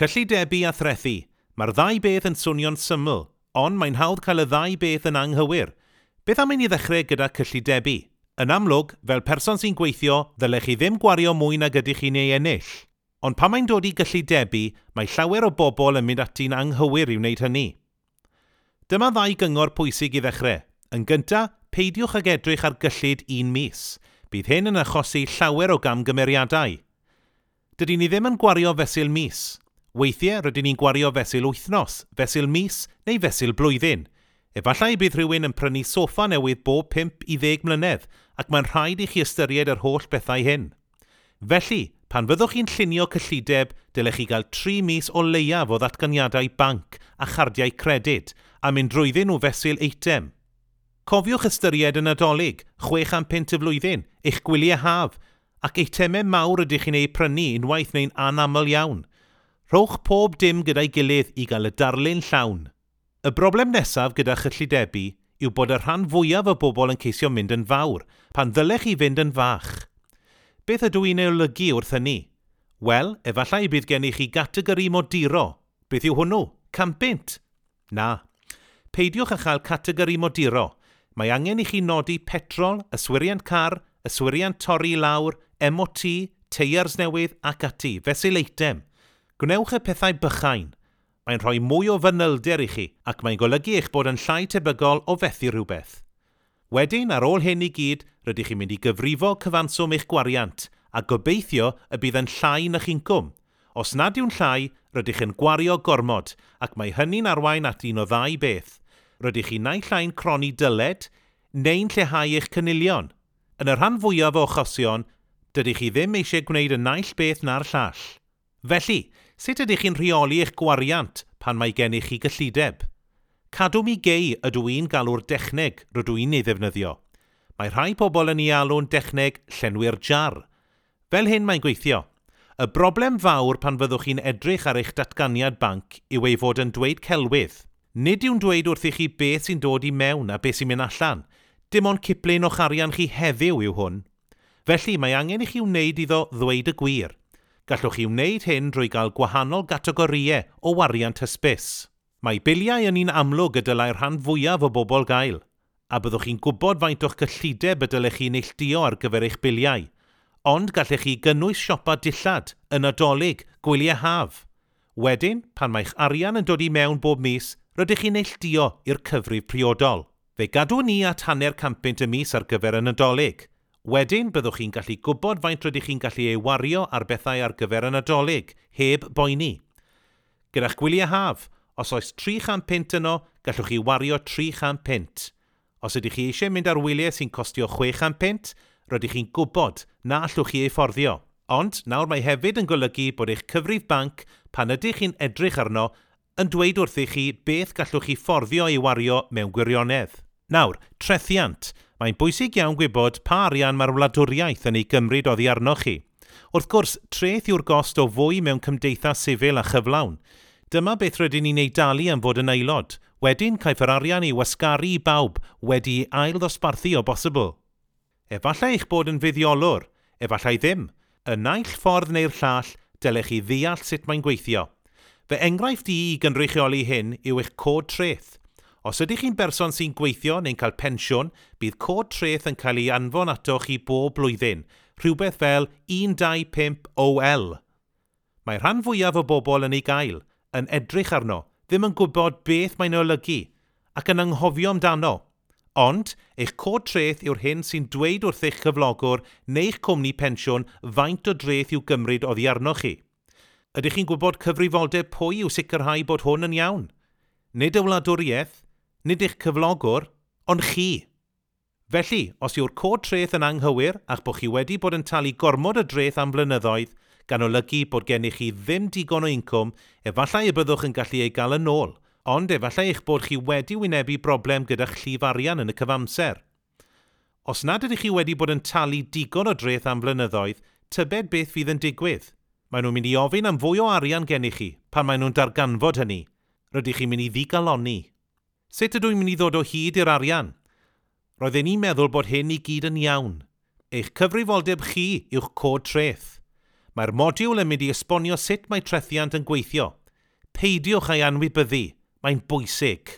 Cyllidebu a threthu. Mae'r ddau beth yn swnio'n syml, ond mae'n hawdd cael y ddau beth yn anghywir. Beth am i ni ddechrau gyda cyllidebu? Yn amlwg, fel person sy'n gweithio, ddylech chi ddim gwario mwy nag ydych chi'n ei ennill. Ond pan mae'n dod i gyllidebu, mae llawer o bobl yn mynd ati'n anghywir i wneud hynny. Dyma ddau gyngor pwysig i ddechrau. Yn gyntaf, peidiwch ag edrych ar gyllid un mis. Bydd hyn yn achosi llawer o gamgymeriadau. Dydyn ni ddim yn gwario fesul mis. Weithiau, rydyn ni'n gwario fesul wythnos, fesul mis neu fesul blwyddyn. Efallai bydd rhywun yn prynu soffa newydd bob 5 i 10 mlynedd ac mae'n rhaid i chi ystyried yr holl bethau hyn. Felly, pan fyddwch chi'n llunio cyllideb, dylech chi gael 3 mis o leiaf o ddatganiadau banc a chardiau credyd a mynd drwyddyn nhw fesul eitem. Cofiwch ystyried y Nadolig, 600 punt y flwyddyn, eich gwyliau haf, ac eitemau mawr ydych chi'n eu prynu unwaith neu'n anaml iawn. Rhowch pob dim gyda'i gilydd i gael y darlun llawn. Y broblem nesaf gyda chyllidebu yw bod y rhan fwyaf o bobl yn ceisio mynd yn fawr, pan ddylech chi fynd yn fach. Beth ydw i'n ei olygu wrth hynny? Wel, efallai bydd gennych chi gategori moduro. Beth yw hwnnw? 100 punt? Na. Peidiwch â chael categori moduro. Mae angen i chi nodi petrol, yswiriant car, yswiriant torri i lawr, MOT, teiars newydd ac ati, fesul eitem. Gwnewch y pethau bychain. Mae'n rhoi mwy o fanylder i chi ac mae'n golygu eich bod yn llai tebygol o fethu rhywbeth. Wedyn, ar ôl hyn i gyd, rydych chi'n mynd i gyfrifo cyfanswm eich gwariant a gobeithio y bydd yn llai na'ch incwm. Os nad yw'n llai, rydych yn gwario gormod ac mae hynny'n arwain at un o ddau beth. Rydych chi naill ai'n cronni dyled neu'n lleihau eich cynilion. Yn y rhan fwyaf o achosion, dydych chi ddim eisiau gwneud y naill beth na'r llall. Felly, sut ydych chi'n rheoli eich gwariant pan mae gennych chi gyllideb? Cadw mi gei ydw i'n galw'r dechneg rydw i'n ei ddefnyddio. Mae rhai pobl yn ei alw'n dechneg llenwi'r jar. Fel hyn mae'n gweithio. Y broblem fawr pan fyddwch chi'n edrych ar eich datganiad banc yw ei fod yn dweud celwydd. Nid yw'n dweud wrthych chi beth sy'n dod i mewn a beth sy'n mynd allan. Dim ond ciplun o'ch arian chi heddiw yw hwn. Felly, mae angen i chi wneud iddo ddweud y gwir. Gallwch chi wneud hyn drwy gael gwahanol gategorïau o wariant hysbys. Mae biliau yn un amlwg y dylai'r rhan fwyaf o bobl gael, a byddwch chi'n gwybod faint o'ch cyllideb y dylech chi neilltuo ar gyfer eich biliau. Ond gallech chi gynnwys siopa dillad, y Nadolig, gwyliau haf. Wedyn, pan mae'ch arian yn dod i mewn bob mis, rydych chi'n neilltuo i'r cyfrif priodol. Fe gadwn ni at 0.5 punt y mis ar gyfer y Nadolig. Wedyn, byddwch chi'n gallu gwybod faint rydych chi'n gallu ei wario ar bethau ar gyfer y Nadolig, heb boeni. Gyda'ch gwyliau haf, os oes 300 punt yno, gallwch chi wario 300 punt. Os ydych chi eisiau mynd ar wyliau sy'n costio 600 punt, rydych chi'n gwybod na allwch chi ei fforddio. Ond nawr mae hefyd yn golygu bod eich cyfrif banc, pan ydych chi'n edrych arno, yn dweud wrthych chi beth gallwch chi fforddio ei wario mewn gwirionedd. Nawr, trethiant. Mae'n bwysig iawn gwybod pa arian mae'r wladwriaeth yn ei gymryd oddi arnoch chi. Wrth gwrs, treth yw'r gost o fwy mewn cymdeithas sifil a chyflawn. Dyma beth rydyn ni'n ei dalu am fod yn aelod. Wedyn, caiff yr arian ei wasgaru i bawb wedi'i ail-ddosbarthu o bosibl. Efallai eich bod yn fuddiolwr, efallai ddim. Y naill ffordd neu'r llall, dylech chi ddeall sut mae'n gweithio. Fy enghraifft i i gynrychioli hyn yw eich cod treth. Os ydych chi'n berson sy'n gweithio neu'n cael pensiwn, bydd cod treth yn cael ei anfon atoch chi bob blwyddyn, rhywbeth fel 125OL. Mae rhan fwyaf o bobl yn ei gael, yn edrych arno, ddim yn gwybod beth mae'n olygu, ac yn anghofio amdano. Ond, eich cod treth yw'r hyn sy'n dweud wrth eich cyflogwr neu'ch cwmni pensiwn faint o dreth i'w gymryd oddi arnoch chi. Ydych chi'n gwybod cyfrifoldeb pwy yw sicrhau bod hwn yn iawn? Nid y wladwriaeth, nid eich cyflogwr, ond chi. Felly, os yw'r cod treth yn anghywir a'ch bod chi wedi bod yn talu gormod o dreth am flynyddoedd, gan olygu bod gennych chi ddim digon o incwm, efallai y byddwch yn gallu ei gael yn ôl, ond efallai eich bod chi wedi wynebu broblem gyda'ch llif arian yn y cyfamser. Os nad ydych chi wedi bod yn talu digon o dreth am flynyddoedd, tybed beth fydd yn digwydd. Maen nhw'n mynd i ofyn am fwy o arian gennych chi pan maen nhw'n darganfod hynny. Rydych chi'n mynd i ddigalonni. Sut ydw i'n mynd i ddod o hyd i'r arian? Roedden ni'n meddwl bod hyn i gyd yn iawn. Eich cyfrifoldeb chi yw'ch cod treth. Mae'r modiwl yn mynd i esbonio sut mae trethiant yn gweithio. Peidiwch â'i anwybyddu, mae'n bwysig.